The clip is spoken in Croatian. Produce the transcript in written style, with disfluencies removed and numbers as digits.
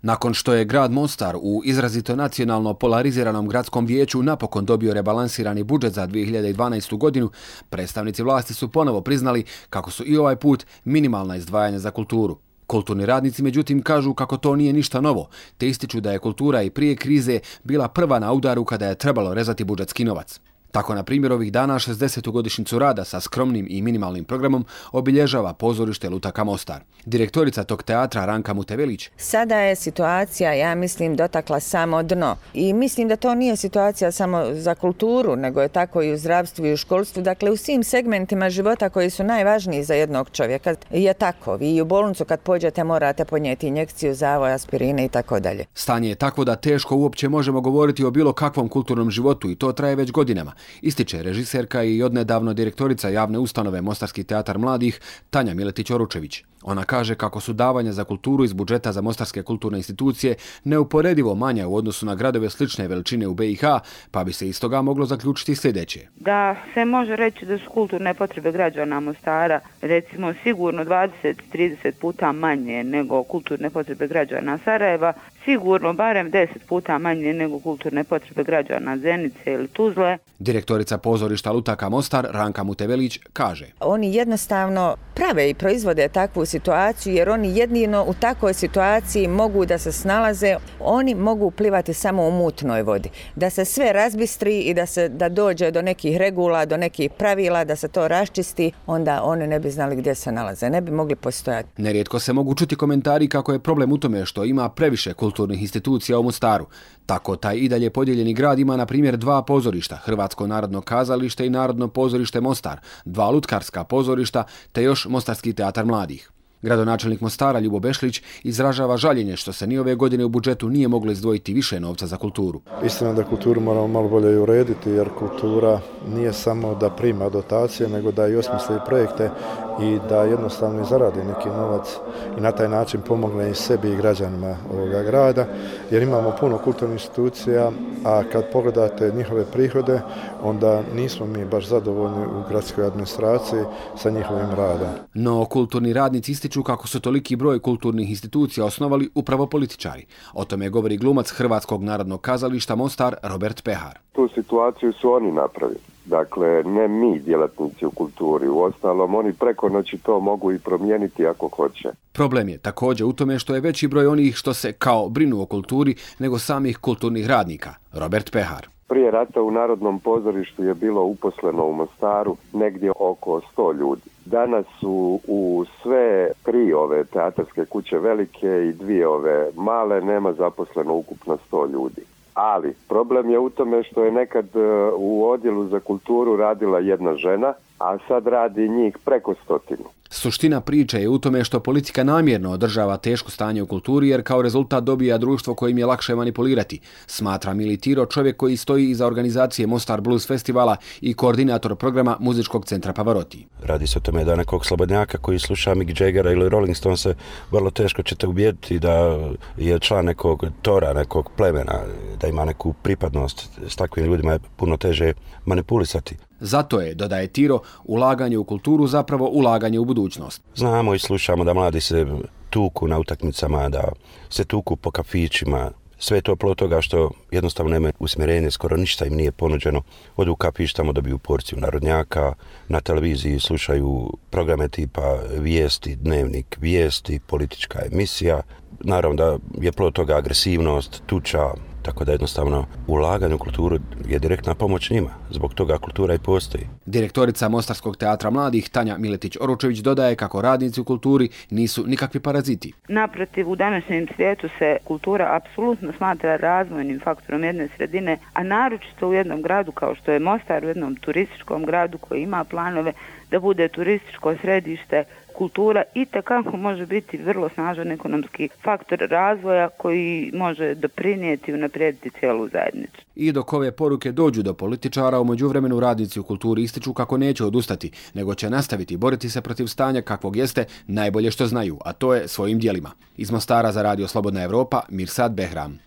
Nakon što je grad Mostar u izrazito nacionalno polariziranom gradskom vijeću napokon dobio rebalansirani budžet za 2012. godinu, predstavnici vlasti su ponovo priznali kako su i ovaj put minimalna izdvajanja za kulturu. Kulturni radnici međutim kažu kako to nije ništa novo, te ističu da je kultura i prije krize bila prva na udaru kada je trebalo rezati budžetski novac. Tako, na primjer, ovih dana 60. godišnjicu rada sa skromnim i minimalnim programom obilježava pozorište Lutaka Mostar. Direktorica tog teatra Ranka Mutevelić. Sada je situacija, ja mislim, dotakla samo dno. I mislim da to nije situacija samo za kulturu, nego je tako i u zdravstvu i u školstvu. Dakle, u svim segmentima života koji su najvažniji za jednog čovjeka je tako. Vi i u bolnicu kad pođete morate podnijeti injekciju, zavoj, aspirine i tako dalje. Stanje je takvo da teško uopće možemo govoriti o bilo kakvom kulturnom životu i to traje već godinama, ističe režiserka i odnedavno direktorica javne ustanove Mostarski teatar mladih Tanja Miletić-Oručević. Ona kaže kako su davanja za kulturu iz budžeta za mostarske kulturne institucije neuporedivo manja u odnosu na gradove slične veličine u BiH, pa bi se iz toga moglo zaključiti sljedeće. Da se može reći da su kulturne potrebe građana Mostara recimo sigurno 20-30 puta manje nego kulturne potrebe građana Sarajeva, sigurno barem 10 puta manje nego kulturne potrebe građana Zenice ili Tuzle. Direktorica pozorišta Lutaka Mostar Ranka Mutevelić kaže: Oni jednostavno prave i proizvode takvu situaciju jer oni jedino u takvoj situaciji mogu da se snalaze, oni mogu plivati samo u mutnoj vodi. Da se sve razbistri i da dođe do nekih regula, do nekih pravila, da se to raščisti, onda oni ne bi znali gdje se nalaze, ne bi mogli postojati. Nerijetko se mogu čuti komentari kako je problem u tome što ima previše kulturnih institucija u Mostaru. Tako taj i dalje podijeljeni grad ima na primjer 2 pozorišta, Hrvatsko narodno kazalište i Narodno pozorište Mostar, 2 lutkarska pozorišta te još Mostarski teatar mladih. Gradonačelnik Mostara Ljubo Bešlić izražava žaljenje što se ni ove godine u budžetu nije moglo izdvojiti više novca za kulturu. Istina da kulturu moramo malo bolje urediti jer kultura nije samo da prima dotacije nego da i osmisli projekte i da jednostavno zaradi neki novac i na taj način pomogne i sebi i građanima ovoga grada jer imamo puno kulturnih institucija, a kad pogledate njihove prihode onda nismo mi baš zadovoljni u gradskoj administraciji sa njihovim radom. No kulturni radnici ističu kako su toliki broj kulturnih institucija osnovali upravo političari. O tome govori glumac Hrvatskog narodnog kazališta Mostar Robert Pehar. Tu situaciju su oni napravili. Dakle, ne mi djelatnici u kulturi. Uostalom, oni preko noći to mogu i promijeniti ako hoće. Problem je također u tome što je veći broj onih što se kao brinu o kulturi nego samih kulturnih radnika. Robert Pehar. Prije rata u Narodnom pozorištu je bilo uposleno u Mostaru negdje oko 100 ljudi. Danas su u sve 3 ove teatarske kuće velike i 2 ove male nema zaposleno ukupno 100 ljudi. Ali problem je u tome što je nekad u odjelu za kulturu radila jedna žena, a sad radi njih preko 100. Suština priče je u tome što politika namjerno održava teško stanje u kulturi jer kao rezultat dobija društvo kojim je lakše manipulirati, smatra Mili Tiro, čovjek koji stoji iza organizacije Mostar Blues festivala i koordinator programa muzičkog centra Pavarotti. Radi se o tome da nekog slobodnjaka koji sluša Mick Jaggera ili Rolling Stonese vrlo teško ćete ubijediti da je član nekog tora, nekog plemena, da ima neku pripadnost. S takvim ljudima je puno teže manipulisati. Zato je, dodaje Tiro, ulaganje u kulturu zapravo ulaganje u budućnost. Znamo i slušamo da mladi se tuku na utakmicama, da se tuku po kafićima. Sve je to plod toga što jednostavno nema usmjerenje, skoro ništa im nije ponuđeno. Odu u kafić, tamo dobiju porciju narodnjaka, na televiziji slušaju programe tipa vijesti, dnevnik vijesti, politička emisija. Naravno da je plod toga agresivnost, tuča, tako da jednostavno ulaganje u kulturu je direktna pomoć njima. Zbog toga kultura i postoji. Direktorica Mostarskog teatra mladih Tanja Miletić-Oručević dodaje kako radnici u kulturi nisu nikakvi paraziti. Naprotiv, u današnjem svijetu se kultura apsolutno smatra razvojnim faktorom jedne sredine, a naročito u jednom gradu kao što je Mostar, u jednom turističkom gradu koji ima planove da bude turističko središte. Kultura itekako može biti vrlo snažan ekonomski faktor razvoja koji može doprinijeti i unaprijediti cijelu zajednicu. I dok ove poruke dođu do političara, u međuvremenu radnici u kulturi ističu kako neće odustati, nego će nastaviti boriti se protiv stanja kakvog jeste najbolje što znaju, a to je svojim djelima. Iz Mostara za Radio Slobodna Evropa, Mirsad Behram.